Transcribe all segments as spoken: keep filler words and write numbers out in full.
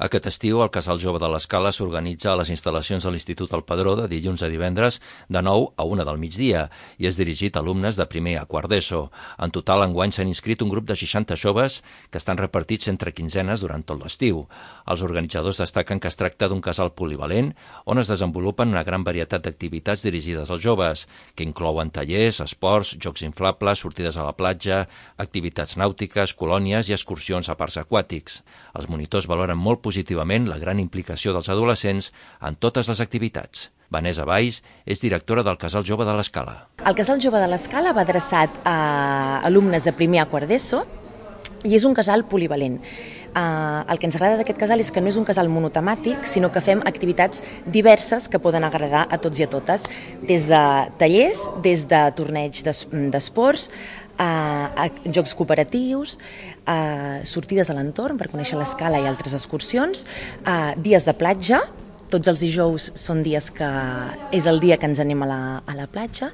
Aquest estiu, el Casal Jove de l'Escala s'organitza a les instal·lacions de l'Institut El Padró de dilluns a divendres de nou a una del migdia i és dirigit a alumnes de primer a quart d'ESO. En total, enguany s'han inscrit un grup de seixanta joves que estan repartits entre quinzenes durant tot l'estiu. Els organitzadors destaquen que es tracta d'un casal polivalent on es desenvolupen una gran varietat d'activitats dirigides als joves, que inclouen tallers, esports, jocs inflables, sortides a la platja, activitats nàutiques, colònies i excursions a parcs aquàtics. Els monitors valoren molt positivament la gran implicació dels adolescents en totes les activitats. Vanessa Valls és directora del Casal Jove de l'Escala. El Casal Jove de l'Escala va adreçat a alumnes de primer a quart d'ESO i és un casal polivalent. Uh, el que ens agrada d'aquest casal és que no és un casal monotemàtic, sinó que fem activitats diverses que poden agradar a tots i a totes, des de tallers, des de torneigs d'esports, uh, a jocs cooperatius, uh, sortides a l'entorn per conèixer l'Escala i altres excursions, uh, dies de platja. Tots els dijous són dies que és el dia que ens anem a la, a la platja.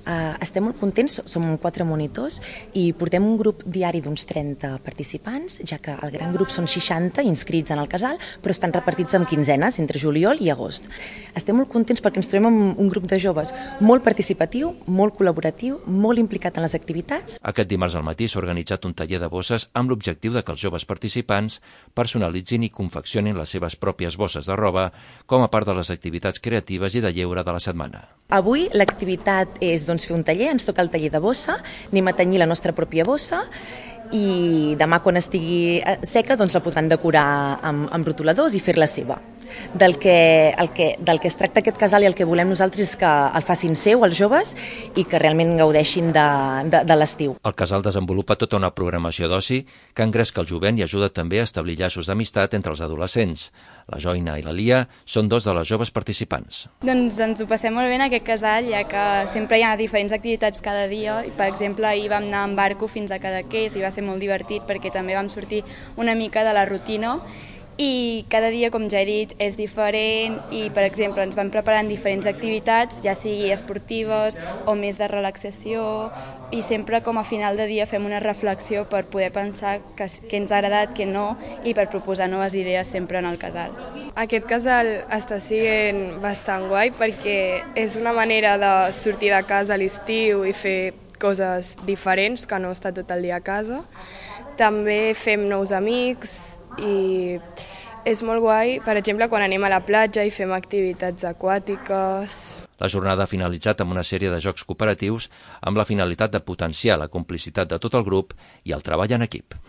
Uh, estem molt contents, som quatre monitors i portem un grup diari d'uns trenta participants, ja que el gran grup són seixanta inscrits en el casal, però estan repartits en quinzenes entre juliol i agost. Estem molt contents perquè ens trobem amb un grup de joves molt participatiu, molt col·laboratiu, molt implicat en les activitats. Aquest dimarts al matí s'ha organitzat un taller de bosses amb l'objectiu de que els joves participants personalitzin i confeccionin les seves pròpies bosses de roba com a part de les activitats creatives i de lleure de la setmana. Avui l'activitat és doncs, fer un taller, ens toca el taller de bossa, anem a tenyir la nostra pròpia bossa i demà quan estigui seca doncs, la podran decorar amb, amb rotuladors i fer-la seva. Del que, el que, del que es tracta aquest casal i el que volem nosaltres és que el facin seu els joves i que realment gaudeixin de, de, de l'estiu. El casal desenvolupa tota una programació d'oci que engresca el jovent i ajuda també a establir llaços d'amistat entre els adolescents. La Joina i la Lia són dos de les joves participants. Doncs ens ho passem molt bé en aquest casal, ja que sempre hi ha diferents activitats cada dia. I, per exemple, ahir vam anar en barco fins a Cadaqués i va ser molt divertit perquè també vam sortir una mica de la rutina. I cada dia, com ja he dit, és diferent i, per exemple, ens vam preparant diferents activitats, ja sigui esportives o més de relaxació, i sempre com a final de dia fem una reflexió per poder pensar què ens ha agradat, què no, i per proposar noves idees sempre en el casal. Aquest casal està sent bastant guai perquè és una manera de sortir de casa a l'estiu i fer coses diferents, que no estar tot el dia a casa. També fem nous amics i és molt guai, per exemple, quan anem a la platja i fem activitats aquàtiques. La jornada ha finalitzat amb una sèrie de jocs cooperatius amb la finalitat de potenciar la complicitat de tot el grup i el treball en equip.